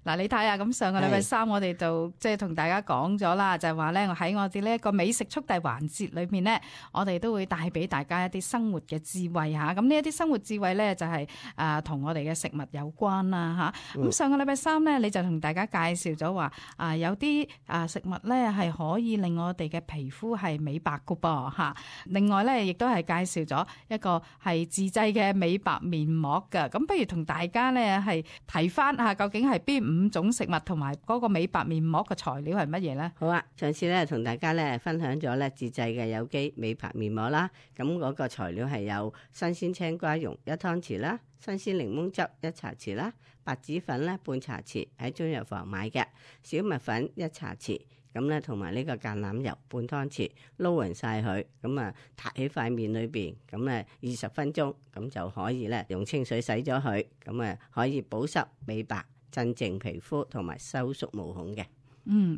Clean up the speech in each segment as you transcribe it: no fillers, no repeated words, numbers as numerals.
嗱，你睇下咁上個禮拜三我哋就即係同大家講咗啦，就係話咧喺我哋呢一個美食速遞環節裏面咧，我哋都會帶俾大家一啲生活嘅智慧嚇。咁呢一啲生活智慧咧就係同我哋嘅食物有關啦嚇。咁上個禮拜三咧你就同大家介紹咗話有啲食物咧係可以令我哋嘅皮膚係美白㗎噃嚇。另外咧亦都係介紹咗一個係自製嘅美白面膜㗎。咁不如同大家咧係提翻下究竟係邊5種食物同埋嗰個美白面膜嘅材料係乜嘢咧？好啊，上次咧同大家咧分享咗咧自製嘅有機美白面膜啦，咁嗰個材料係有新鮮青瓜蓉1湯匙啦，新鮮檸檬汁1茶匙啦，白紙粉咧半茶匙喺中藥房買嘅，小麥粉1茶匙，咁咧同埋呢個橄欖油半湯匙，撈勻晒佢，咁啊撻喺塊面裏邊，咁咧20分鐘，咁就可以咧用清水洗咗佢，咁啊可以保濕美白、鎮靜皮膚同埋收縮毛孔嘅。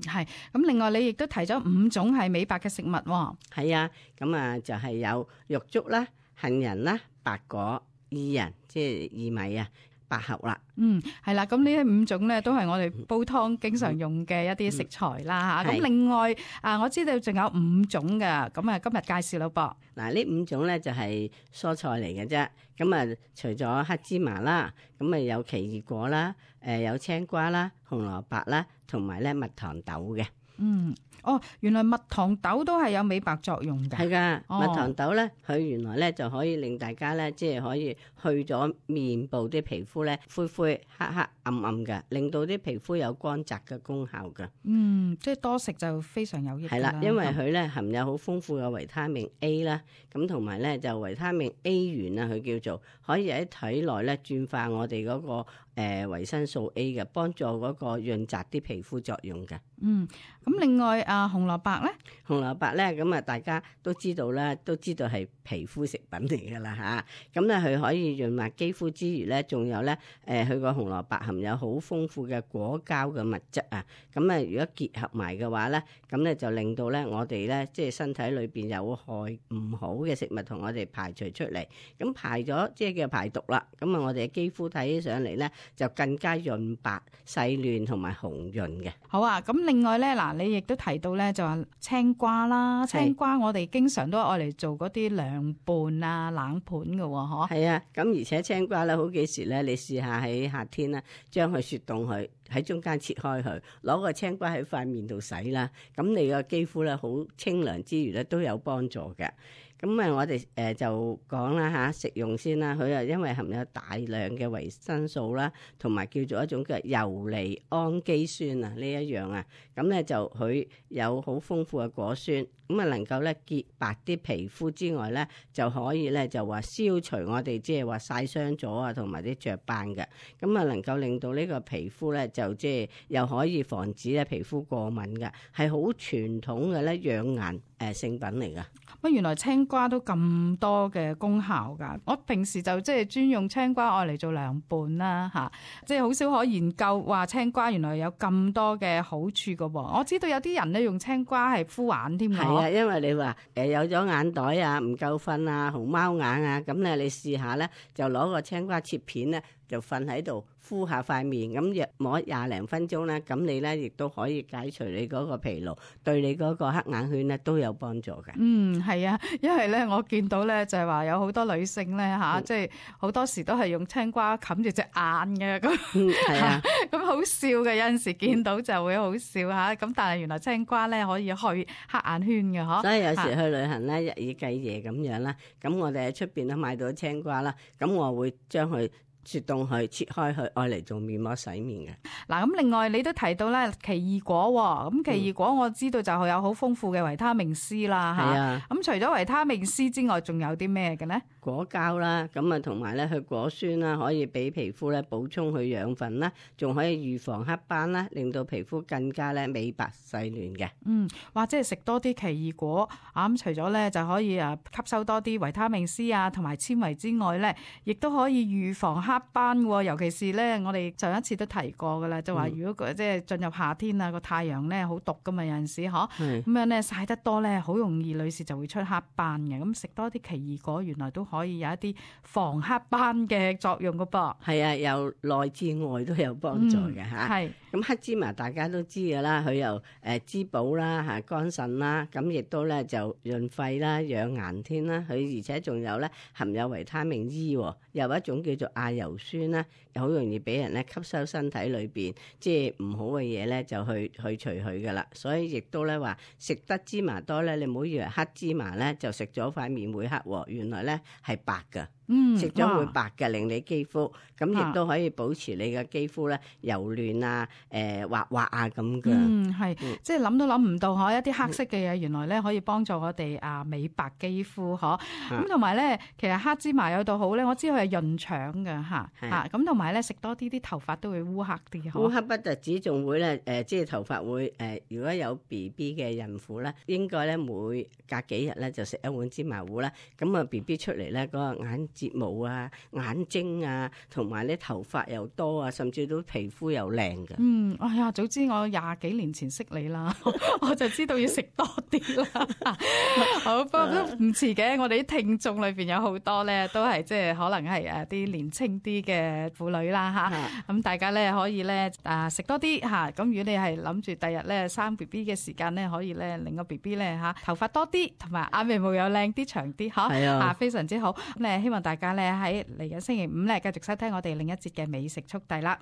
係。咁另外你亦都提咗5種係美白嘅食物喎。係啊，咁啊就係有玉竹啦、杏仁啦、白果、薏仁，即係薏米啊、百合啦。係啦，咁呢5種咧都係我哋煲湯經常用嘅一啲食材啦嚇。咁另外我知道仲有5種㗎，咁啊今日介紹咯噃。嗱，呢5種咧就係蔬菜嚟嘅啫。咁啊，除咗黑芝麻啦，咁啊有奇異果啦，有青瓜啦、紅蘿蔔啦，同埋咧蜜糖豆嘅。原來蜜糖豆都係有美白作用嘅。係噶，蜜糖豆咧，佢原來咧就可以令大家咧，即係可以去咗面部啲皮膚咧灰灰黑黑暗暗嘅，令到啲皮膚有光澤嘅功效嘅。即係多食就非常有益。係啦，因為佢咧含有好豐富嘅維他命 A 啦，咁同埋咧就維他命 A 元啊，佢叫做可以喺體內咧轉化我哋嗰個維生素 A 嘅，幫助嗰個潤澤啲皮膚作用嘅。咁另外紅蘿蔔咧，紅蘿蔔咧咁啊，大家都知道啦，都知道係皮膚食品嚟噶啦吓。咁咧佢可以潤滑肌膚之餘咧，仲有咧佢個紅蘿蔔含有好豐富嘅果膠嘅物質啊。咁啊，如果結合埋嘅話咧，咁咧就令到咧我哋咧即係身體裏邊有害唔好嘅食物同我哋排除出嚟。咁排咗即係叫排毒啦。咁啊，我哋嘅肌膚睇起上嚟咧就更加潤白、細嫩同埋紅潤嘅。好啊，咁另外咧嗱，你亦都提到咧就話青瓜啦，青瓜我哋經常都愛嚟做嗰啲涼拌啊、冷盤嘅喎，嗬。係啊，咁而且青瓜咧好幾時咧，你試下喺夏天咧，將佢雪凍佢喺中間切開佢，攞個青瓜喺塊面度洗啦，咁你個肌膚咧好清涼之餘咧都有幫助嘅。咁我哋就講啦吓，食用先啦。佢因為含有大量嘅維生素啦，同埋叫做一種嘅游離氨基酸啊，呢一樣啊，咁咧就佢有好豐富嘅果酸，咁啊能夠咧潔白啲皮膚之外咧，就可以咧就話消除我哋即係話曬傷咗啊，同埋啲雀斑嘅，咁啊能夠令到呢個皮膚咧就即係又可以防止咧皮膚過敏嘅，係好傳統嘅咧養顏聖品嚟噶。乜原來青瓜都咁多嘅功效㗎？我平時就即係專用青瓜愛嚟做涼拌啦嚇，即係好少可研究話青瓜原來有咁多嘅好處㗎喎。我知道有啲人咧用青瓜係敷眼添㗎。係啊，因為你話有咗眼袋啊、唔夠瞓啊、紅貓眼啊，咁咧你試下咧，就攞個青瓜切片咧，就瞓喺度敷下塊面，咁約摸20零分鐘咧，咁你咧亦都可以解除你嗰個疲勞，對你嗰個黑眼圈咧都有幫助嘅。係啊，因為咧我見到咧就係話有好多女性咧吓，即係好多時都係用青瓜冚住隻眼嘅，咁係啊，咁好笑嘅，有陣時見到就會好笑吓，咁但係原來青瓜咧可以去黑眼圈嘅嗬。所以有時去旅行咧，日以繼夜咁樣啦，咁我哋喺出邊都買到青瓜啦，咁我會將佢雪凍佢，切開佢，愛嚟做面膜洗面嘅。嗱，咁另外你都提到咧奇異果喎，咁奇異果我知道就係有好豐富嘅維他命 C 啦嚇。咁除咗維他命 C 之外，仲有啲咩嘅咧？果膠啦，咁啊同埋咧佢果酸啦，可以俾皮膚咧補充佢養分啦，仲可以預防黑斑啦，令到皮膚更加咧美白細嫩嘅。或者係食多啲奇異果咁除咗咧就可以吸收多啲維他命 C 啊同埋纖維之外咧，亦都可以預防黑斑喎。尤其是咧，我哋上一次都提過噶啦，就話如果即係進入夏天啊，個太陽咧好毒噶嘛，有陣時咁樣咧曬得多咧，好容易女士就會出黑斑嘅。咁食多啲奇異果原來都可以有一啲防黑斑嘅作用噶噃。係啊，由內至外都有幫助嘅嚇。係咁黑芝麻大家都知㗎啦，佢又滋補啦嚇，肝腎啦，咁亦都咧就潤肺啦、養顏添啦。佢而且仲有咧含有維他命 E，又有一種叫做亞油酸啦，又好容易俾人咧吸收身體裏邊即係唔好嘅嘢咧，就去除佢噶啦。所以亦都咧話食得芝麻多咧，你唔好以為黑芝麻咧就食咗塊面會黑喎，原來咧係白噶。食咗會白嘅，令你肌膚咁亦都可以保持你嘅肌膚咧柔嫩啊、滑滑啊咁嘅。係即係諗都諗唔到嗬，一啲黑色嘅嘢原來咧可以幫助我哋美白肌膚嗬。咁同埋咧，其實黑芝麻有道好咧，我知佢係潤腸嘅嚇。咁同埋咧食多啲頭髮都會烏黑啲。烏黑不特止，仲會咧即係頭髮會如果有 BB 嘅孕婦咧，應該咧每隔幾日咧就食一碗芝麻糊啦。咁啊 BB 出嚟咧嗰個眼睫毛啊、眼睛啊，同埋咧頭髮又多啊，甚至到皮膚又靚嘅。哎呀，早知我20幾年前識你啦，我就知道要食多啲啦。好，不過都唔遲嘅。我哋啲聽眾裏邊有好多咧，都係即係可能係啲年青啲嘅婦女啦嚇。咁大家咧可以咧食多啲嚇。咁如果你係諗住第日咧生 BB 嘅時間咧，可以咧令個 BB 咧頭髮多啲，同埋眼眉毛又靚啲長啲嚇。係啊，非常之好。咁咧希望大家咧喺嚟緊星期5咧繼續收聽我哋另一節嘅美食速遞啦。